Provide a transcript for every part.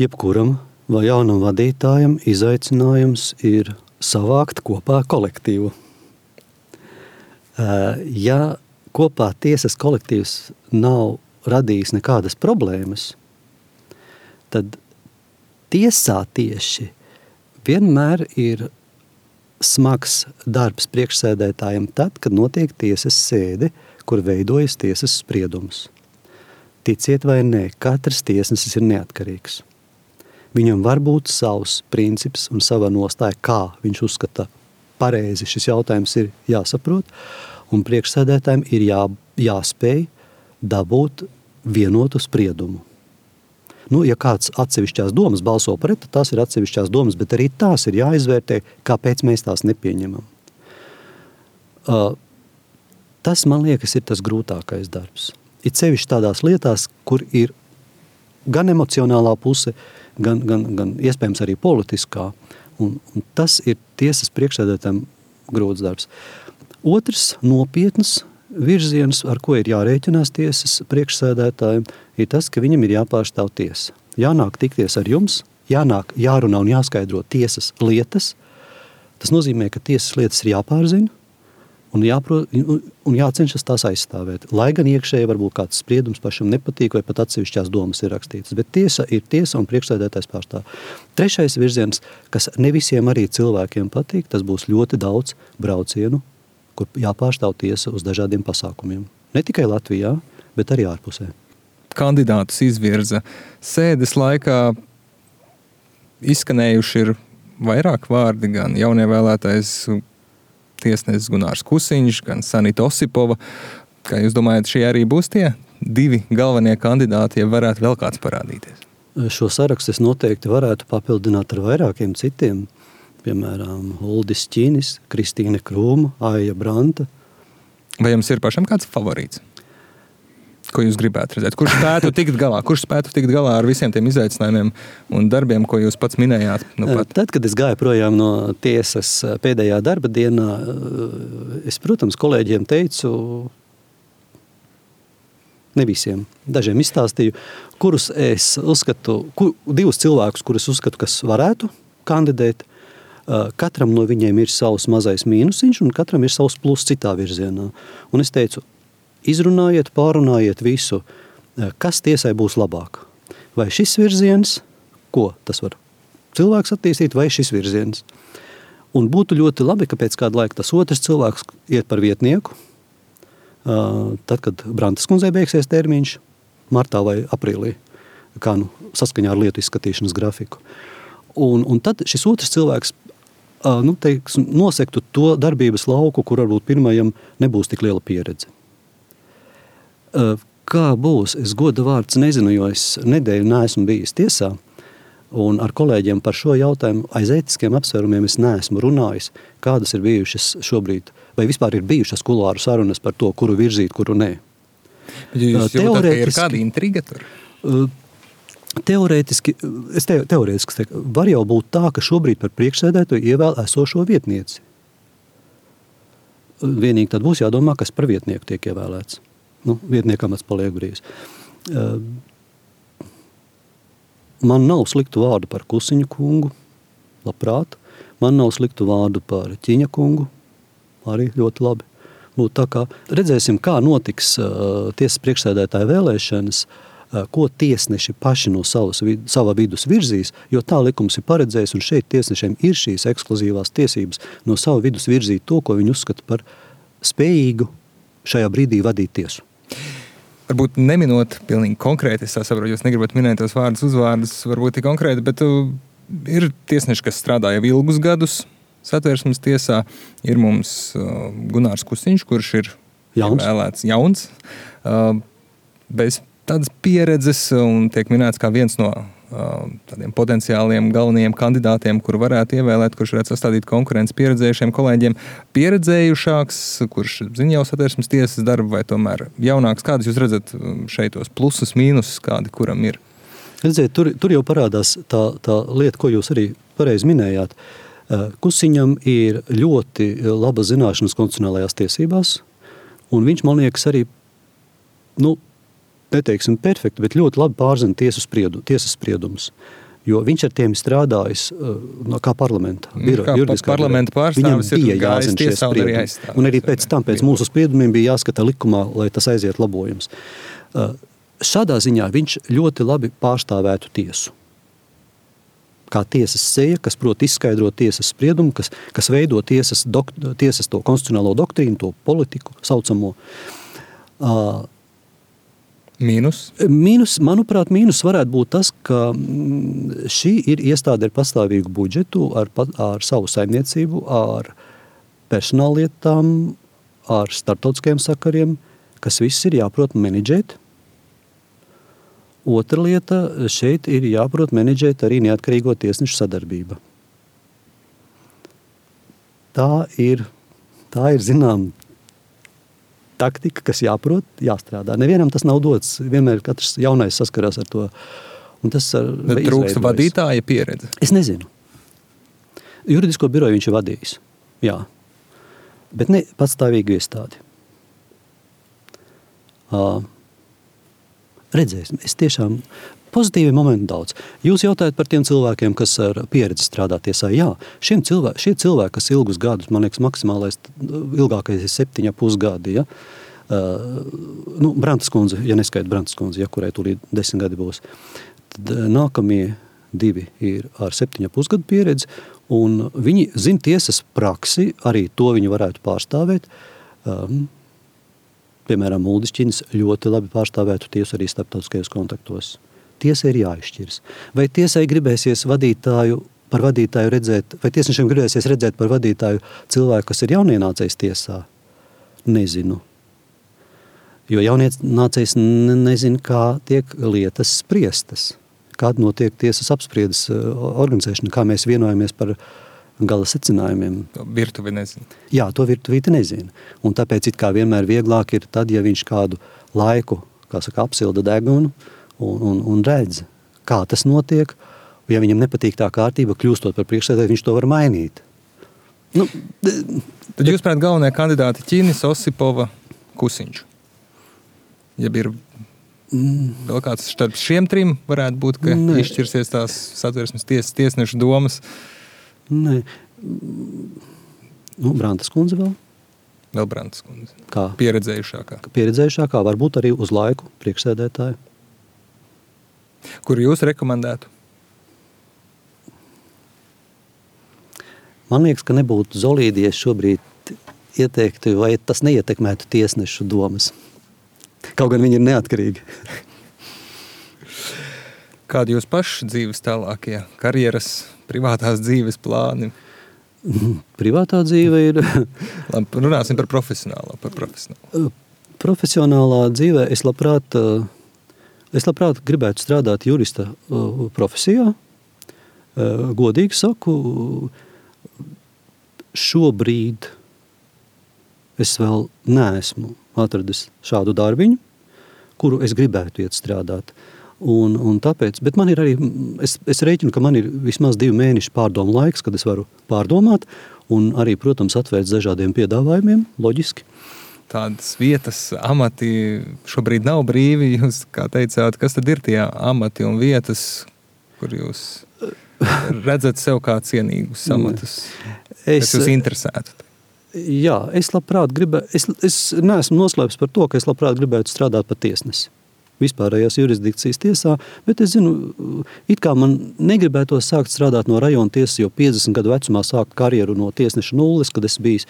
Jebkuram vai jaunam vadītājam izaicinājums ir savākt kopā kolektīvu. Ja kopā tiesas kolektīvs nav radījis nekādas problēmas, tad tiesā tieši vienmēr ir smags darbs priekšsēdētājiem tad, kad notiek tiesas sēde, kur veidojas tiesas spriedums. Ticiet vai nē, katrs tiesnesis ir neatkarīgs. Viņam var būt savs princips un sava nostāja, kā viņš uzskata pareizi šis jautājums ir jāsaprot, un priekšsēdētājiem ir jāspēj dabūt vienotu spriedumu. Ja kāds atsevišķās domas balso pret, tad tās ir atsevišķās domas, bet arī tās ir jāizvērtē, kāpēc mēs tās nepieņemam. Tas, man liekas, ir tas grūtākais darbs. Ir sevišķi tādās lietās, kur ir gan emocionālā puse, gan iespējams arī politiskā. Un tas ir tiesas priekšsēdētājiem grūts darbs. Otrs nopietns virziens, ar ko ir jārēķinās tiesas priekšsēdētājiem, ir tas, ka viņam ir jāpārstāv tiesa. Jānāk tikties ar jums, jārunā un jāskaidro tiesas lietas. Tas nozīmē, ka tiesas lietas ir jāpārzina un jācenšas tās aizstāvēt. Lai gan iekšēji varbūt kāds spriedums pašam nepatīk vai pat atsevišķās domas ir rakstītas. Bet tiesa ir tiesa un priekšsēdētājs pārstāv. Trešais virziens, kas ne visiem arī cilvēkiem patīk, tas būs ļoti daudz braucienu, kur jāpārstāv tiesa uz dažādiem pasākumiem. Ne tikai Latvijā, bet arī ārpusē. Kandidātus izvirza sēdes laikā. Izskanējuši ir vairāk vārdi, gan jaunievēlētais tiesnesis Gunārs Kusiņš, gan Sanita Osipova. Kā jūs domājat, šie arī būs tie divi galvenie kandidāti, ja varētu vēl kāds parādīties? Šo sarakstu es noteikti varētu papildināt ar vairākiem citiem. Piemēram, Uldis Ķīnis, Kristīne Krūma, Aija Branta. Vai jums ir pašam kāds favorīts? Ko jūs gribētu redzēt? Kurš spētu tikt galā ar visiem tiem izaicinājumiem un darbiem, ko jūs pats minējāt? Tad, kad es gāju projām no tiesas pēdējā darba dienā, es, protams, kolēģiem teicu, ne visiem, dažiem izstāstīju, kurus es uzskatu, divus cilvēkus, kurus uzskatu, kas varētu kandidēt. Katram no viņiem ir savs mazais mīnusiņš un katram ir savs plus citā virzienā. Un es teicu, izrunājiet, pārunājiet visu, kas tiesai būs labāk. Vai šis virziens, ko tas var cilvēks attīstīt, vai šis virziens. Un būtu ļoti labi, ka pēc kāda laika tas otrs cilvēks iet par vietnieku, tad, kad Brantas kundzei beigsies termiņš, martā vai aprīlī, kā saskaņā ar lietu izskatīšanas grafiku. Un tad šis otrs cilvēks nosektu to darbības lauku, kur varbūt pirmajam nebūs tik liela pieredze. Kā būs? Es goda vārds nezinu, jo es nedēļu neesmu bijis tiesā, un ar kolēģiem par šo jautājumu aiz ētiskiem apsvērumiem es neesmu runājis, kādas ir bijušas šobrīd, vai vispār ir bijušas kulāru sarunas par to, kuru virzīt, kuru nē. Jūs jūtat, ka ir kāda intriga tur? Teorētiski teiktu, var jau būt tā, ka šobrīd par priekšsēdētāju ievēl esošo vietnieci. Vienīgi tad būs jādomā, kas par vietnieku tiek ievēlēts. Vietnieka amats paliek brīvs. Man nav sliktu vārdu par Kusiņu kungu, labprāt. Man nav sliktu vārdu par Ķiņa kungu, arī ļoti labi. Tā kā redzēsim, kā notiks tiesas priekšsēdētāja vēlēšanas, ko tiesneši paši no sava vidus virzīs, jo tā likums ir paredzējis, un šeit tiesnešiem ir šīs ekskluzīvās tiesības no sava vidus virzīt to, ko viņi uzskata par spējīgu šajā brīdī vadīt tiesu. Varbūt neminot pilnīgi konkrēti, es saprotu, jūs negribat minēt tos vārdus, uzvārdus, varbūt ir konkrēti, bet ir tiesneši, kas strādā jau ilgus gadus Satversmes tiesā. Ir mums Gunārs Kusiņš, kurš ir vēlēts jauns, bez tādas pieredzes un tiek minēts kā viens no tādiem potenciāliem galvenajiem kandidātiem, kuru varētu ievēlēt, kurš varētu sastādīt konkurenci pieredzējušiem kolēģiem. Pieredzējušāks, kurš zina jau Satversmes tiesas darbu, vai tomēr jaunāks? Kādas jūs redzat šeit tos plusus, mīnusus, kādi kuram ir? Redziet, tur jau parādās tā lieta, ko jūs arī pareizi minējāt. Kusiņam ir ļoti laba zināšanas konstitucionālajās tiesībās, un viņš, man liekas, arī neteiksim perfekti, bet ļoti labi pārzina tiesas spriedumus. Jo viņš ar tiem strādājis kā parlamenta parlamenta pārstāvis bija jāzina šie spriedumi. Un arī pēc tam, pēc mūsu spriedumiem bija jāskata likumā, lai tas aiziet labojums. Šādā ziņā viņš ļoti labi pārstāvētu tiesu. Kā tiesas seja, kas prot izskaidrot tiesas spriedumu, kas veido tiesas to konstitucionālo doktrīnu, to politiku saucamo. Manuprāt, mīnus varētu būt tas, ka šī ir iestāde ar pastāvīgu budžetu, ar savu saimniecību, ar personāllietām, ar starptautiskajiem sakariem, kas viss ir jāprot menedžēt. Otra lieta, šeit ir jāprot menedžēt arī neatkarīgo tiesnešu sadarbība. Tā ir zinām, taktika, kas jāprot, jāstrādā. Nevienam tas nav dots. Vienmēr katrs jaunais saskarās ar to. Un tas trūkst vadītāja pieredze? Es nezinu. Juridisko biroju viņš ir vadījis. Jā. Bet ne patstāvīgu iestādi. Redzēsim. Es tiešām pozitīvi momenti daudz. Jūs jautājat par tiem cilvēkiem, kas ar pieredzi strādā tiesā. Jā, šie cilvēki, kas ilgus gadus, man liekas, maksimālais, ilgākais ir 7,5 gadi. Ja? Brantas kundze, ja neskaita Brantas kundze, ja, kurai tūlīt 10 gadi būs. Tad nākamie 2 ir ar 7,5 gadu pieredzi, un viņi zina tiesas praksi, arī to viņi varētu pārstāvēt. Piemēram, Uldis Činis ļoti labi pārstāvētu tiesu arī starptautiskajos kontaktos. Tiesai ir jāizšķiras. Vai tiesai gribēsies par vadītāju redzēt, vai tiesnešiem gribēsies redzēt par vadītāju cilvēku, kas ir jaunienācējs tiesā? Nezinu. Jo jaunienācējs nezina, kā tiek lietas spriestas, kāda notiek tiesas apspriedes organizēšana, kā mēs vienojamies par gala secinājumiem. Virtuvi nezina. Jā, to virtuvīti nezina. Un tāpēc it kā vienmēr vieglāk ir tad, ja viņš kādu laiku, apsilda degunu un redz, kā tas notiek. Ja viņam nepatīk tā kārtība, kļūstot par priekšsēdētāju, viņš to var mainīt. Tad jūs prāt galvenie kandidāti Ķinis, Osipova, Kusiņš. Ja ir vēl kāds starp šiem 3 varētu būt, ka izšķirsies tās Satversmes tiesnešu domas. Nē. Brantas kundze vēl. Vēl Brantas kundze. Kā? Pieredzējušākā. Varbūt arī uz laiku priekšsēdētāju. Kuru jūs rekomendētu? Man liekas, ka nebūtu zolīdi, ja šobrīd ieteiktu, vai tas neietekmētu tiesnešu domas. Kaut gan viņi ir neatkarīgi. Kādi jūs paši dzīves tālākie karjeras, privātās dzīves plāni? Privātā dzīve ir... Labi, runāsim par profesionālo. Profesionālā dzīvē es labprāt gribētu strādāt jurista profesijā. Godīgi saku, šobrīd es vēl neesmu atradis šādu darbiņu, kuru es gribētu iet strādāt. Un tāpēc, bet man ir arī, es rēķinu, ka man ir vismaz 2 mēneši pārdomu laiks, kad es varu pārdomāt un arī, protams, atvērt dažādiem piedāvājumiem, loģiski. Tādas vietas, amati šobrīd nav brīvi, jūs, kā teicāt, kas tad ir tie amati un vietas, kur jūs redzat sev kā cienīgus amatus, kas jūs interesētu? Jā, es labprāt es neesmu noslēpis par to, ka es labprāt gribētu strādāt par tiesnesi. Vispārējās jurisdikcijas tiesā, bet es zinu, it kā man negribētos sākt strādāt no rajona tiesas, jo 50 gadu vecumā sākt karjeru no tiesneša nulles, kad es bijis,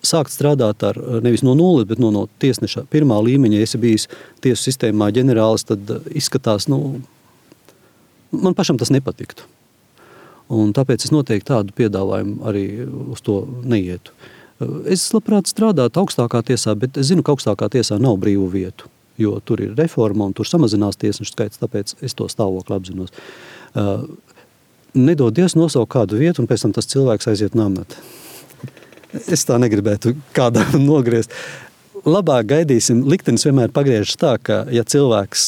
sākt strādāt nevis no nulles, bet no tiesneša pirmā līmeņa, ja esi bijis tiesu sistēmā ģenerālis, tad izskatās, man pašam tas nepatiktu. Un tāpēc es noteikti tādu piedāvājumu arī uz to neietu. Es labprāt strādātu augstākā tiesā, bet es zinu, ka augstākā tiesā nav brīvu vietu, jo tur ir reforma un tur samazinās tiesnešu skaits, tāpēc es to stāvokli apzinos. Nedodies nosaukt kādu vietu, un pēc tam tas cilvēks aiziet namēt. Es tā negribētu kādā nogriezt. Labāk gaidīsim, liktenis vienmēr pagriežas tā, ka ja cilvēks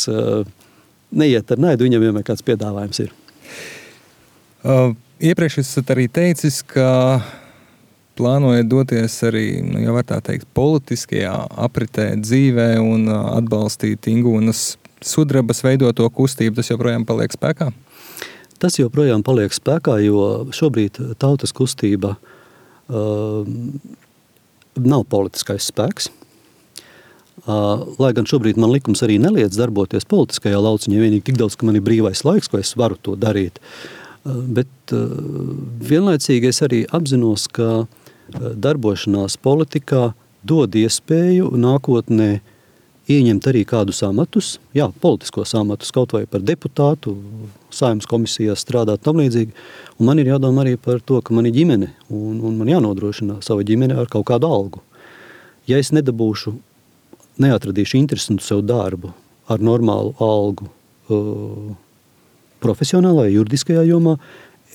neiet ar naidu, viņam vienmēr kāds piedāvājums ir. Iepriekš esat arī teicis, ka plānojat doties arī, ja var tā teikt, politiskajā apritē dzīvē un atbalstīt Ingūnas sudrabas veidoto kustību, tas joprojām paliek spēkā? Tas joprojām paliek spēkā, jo šobrīd tautas kustība nav politiskais spēks. Lai gan šobrīd man likums arī neliedz darboties politiskajā lauciņā, vienīgi tik daudz, ka man ir brīvais laiks, ko es varu to darīt. Bet vienlaicīgi es arī apzinos, ka darbošanās politikā dod iespēju nākotnē ieņemt arī kādus amatus, politiskos amatus, kaut vai par deputātu, Saeimas komisijās strādāt tam līdzīgi. Un man ir jādomā arī par to, ka man ir ģimene, un man jānodrošina sava ģimene ar kaut kādu algu. Ja es neatradīšu interesantu sev darbu ar normālu algu profesionālajā, juridiskajā jomā,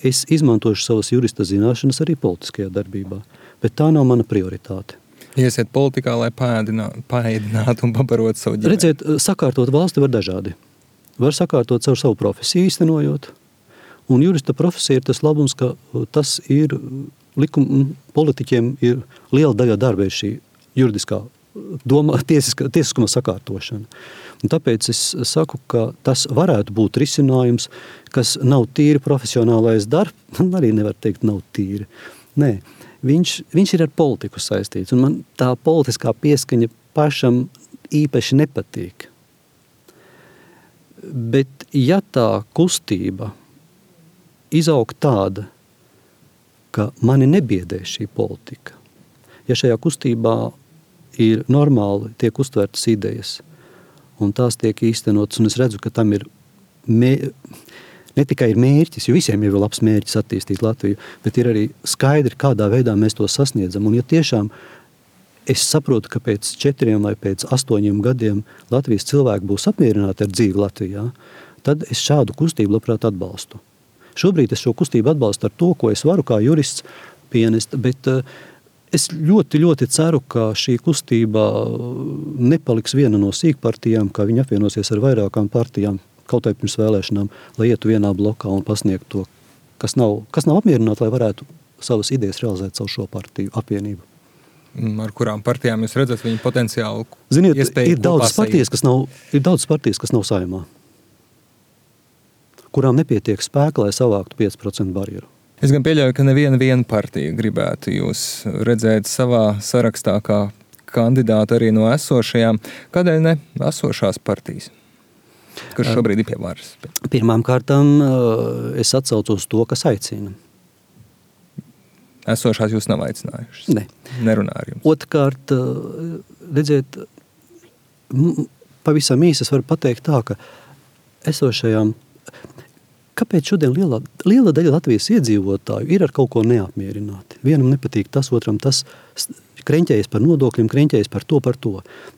es izmantošu savas jurista zināšanas arī politiskajā darbībā. Bet tā nav mana prioritāte. Iesiet politikā, lai paēdinātu un pabarotu savu ģimeni. Redziet, sakārtot valsti var dažādi. Var sakārtot caur savu profesiju īstenojot. Un jurista profesija ir tas labums, ka tas ir politiķiem ir liela daļa darba ir šī juridiskā tiesiskuma sakārtošana. Un tāpēc es saku, ka tas varētu būt risinājums, kas nav tīri profesionālais darbs. Man arī nevar teikt, nav tīri. Nē, viņš ir ar politiku saistīts. Un man tā politiskā pieskaņa pašam īpaši nepatīk. Bet ja tā kustība izaug tāda, ka mani nebiedē šī politika, ja šajā kustībā ir normāli tiek uztvertas idejas, un tās tiek īstenotas, un es redzu, ka tam ir ne tikai ir mērķis, jo visiem ir labs mērķis attīstīt Latviju, bet ir arī skaidri, kādā veidā mēs to sasniedzam. Un ja tiešām es saprotu, ka pēc 4 vai pēc 8 gadiem Latvijas cilvēki būs apmierināti ar dzīvi Latvijā, tad es šādu kustību labprāt atbalstu. Šobrīd es šo kustību atbalstu ar to, ko es varu kā jurists pienest, bet es ļoti, ļoti ceru, ka šī kustība nepaliks viena no sīkpartijām, ka viņi apvienosies ar vairākām partijām, kaut vai pirms vēlēšanām, lai ietu vienā blokā un pasniegtu to, kas nav apmierināti, lai varētu savas idejas realizēt savu šo partiju apvienību. Ar kurām partijām jūs redzat viņu potenciālu? Ziniet, ir daudz partijas, kas nav Saeimā, kurām nepietiek spēka, lai savāktu 5% barjeru. Es gan pieļauju, ka neviena partija gribētu jūs redzēt savā sarakstā kā kandidātu arī no esošajām. Kādēļ ne esošās partijas, kas šobrīd ir pie varas? Pirmām kārtām es atsaucos to, kas aicina. Esošās jūs nav aicinājušas? Ne. Nerunā ar jums? Otrkārt, redziet, pavisam īsi es varu pateikt tā, ka esošajām, kāpēc šodien liela daļa Latvijas iedzīvotāju ir ar kaut ko neapmierināti? Vienam nepatīk tas, otram tas kreņķējas par nodokļiem, kreņķējas par to.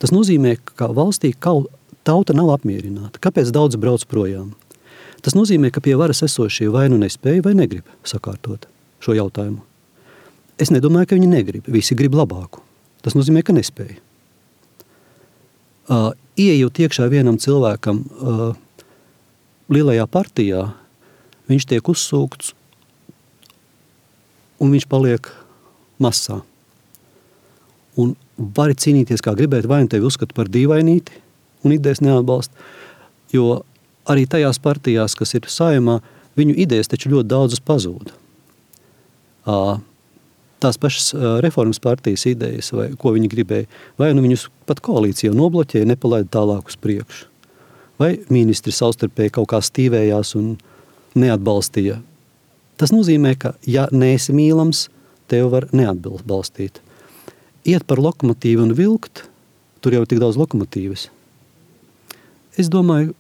Tas nozīmē, ka valstī tauta nav apmierināta. Kāpēc daudz brauc projām? Tas nozīmē, ka pie varas esošie vai nu nespēja vai negrib sakārtot šo jautājumu. Es nedomāju, ka viņi negrib. Visi grib labāku. Tas nozīmē, ka nespēja. Ieejot iekšā vienam cilvēkam lielajā partijā, viņš tiek uzsūkts un viņš paliek masā. Un vari cīnīties, kā gribēt, vai nu tevi uzskata par dīvainīti un idejas neatbalst, jo arī tajās partijās, kas ir Saeimā, viņu idejas taču ļoti daudzas pazūda. Tās pašas reformas partijas idejas, vai ko viņi gribēja, vai nu viņus pat koalīcija nobloķēja, nepalaida tālāk uz priekšu. Vai ministri savstarpēji kaut kā stīvējās un neatbalstīja. Tas nozīmē, ka ja neesi mīlams, tev var neatbalstīt. Iet par lokomotīvu un vilkt, tur jau tik daudz lokomotīvas. Es domāju,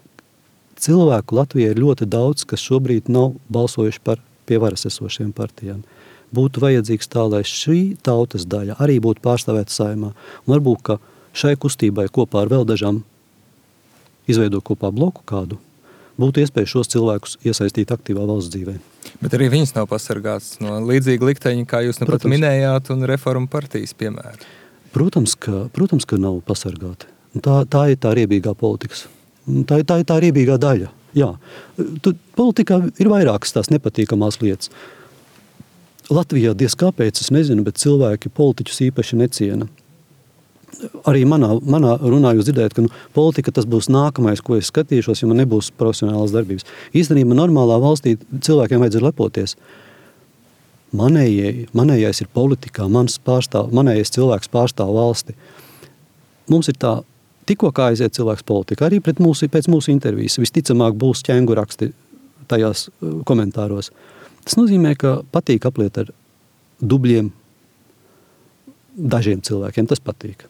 cilvēku Latvijā ir ļoti daudz, kas šobrīd nav balsojuši par pie varas esošiem partijām. Būtu vajadzīgs tā, lai šī tautas daļa arī būtu pārstāvēta Saeimā. Un varbūt, ka šai kustībai kopā ar vēl dažām izveidot kopā bloku kādu, būtu iespēja šos cilvēkus iesaistīt aktīvā valsts dzīvē. Bet arī viņas nav pasargāts no līdzīga likteņa, kā jūs nepat minējāt, un reformu partijas piemēra. Protams, ka nav pasargāti. Tā ir tā riebīgā politikas. Tā ir tā riebīgā daļa. Jā. Politikā ir vairākas tās nepatīkamās lietas. Latvijā diez kāpēc, es nezinu, bet cilvēki politiķus īpaši neciena. Arī manā runā jūs dzirdējat, ka politika tas būs nākamais, ko es skatīšos, ja man nebūs profesionālas darbības. Īstenībā normālā valstī cilvēkiem vajadzētu lepoties. Manējais ir politikā, manējais cilvēks pārstāv valsti. Mums ir tā, tikko kā aiziet cilvēks politikā, arī pēc mūsu intervijas. Visticamāk būs ķenguraksti tajās komentāros. Tas nozīmē, ka patīk apliet ar dubļiem dažiem cilvēkiem. Tas patīk.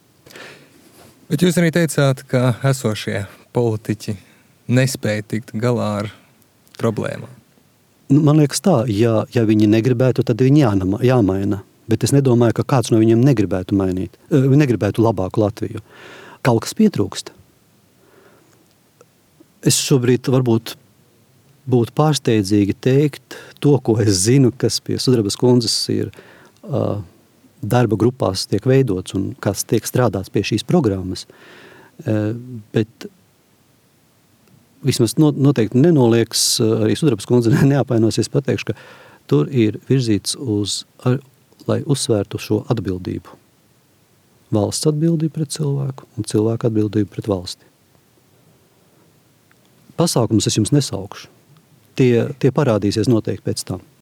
Bet jūs arī teicāt, ka esošie politiķi nespēja tikt galā ar problēmām. Man liekas tā, ja viņi negribētu, tad viņi jāmaina. Bet es nedomāju, ka kāds no viņiem negribētu labāku Latviju. Kaut kas pietrūkst. Es šobrīd varbūt būtu pārsteidzīgi teikt to, ko es zinu, kas pie Sudrabas kundzes ir darba grupās tiek veidots un kas tiek strādāts pie šīs programmas. Bet vismaz noteikti nenolieks, arī Sudrabas kundze neapvainosies, pateikšu, ka tur ir virzīts lai uzsvērtu šo atbildību. Valsts atbildību pret cilvēku un cilvēku atbildību pret valsti. Pasākumus es jums nesaukšu. Tie parādīsies noteikti pēc tam.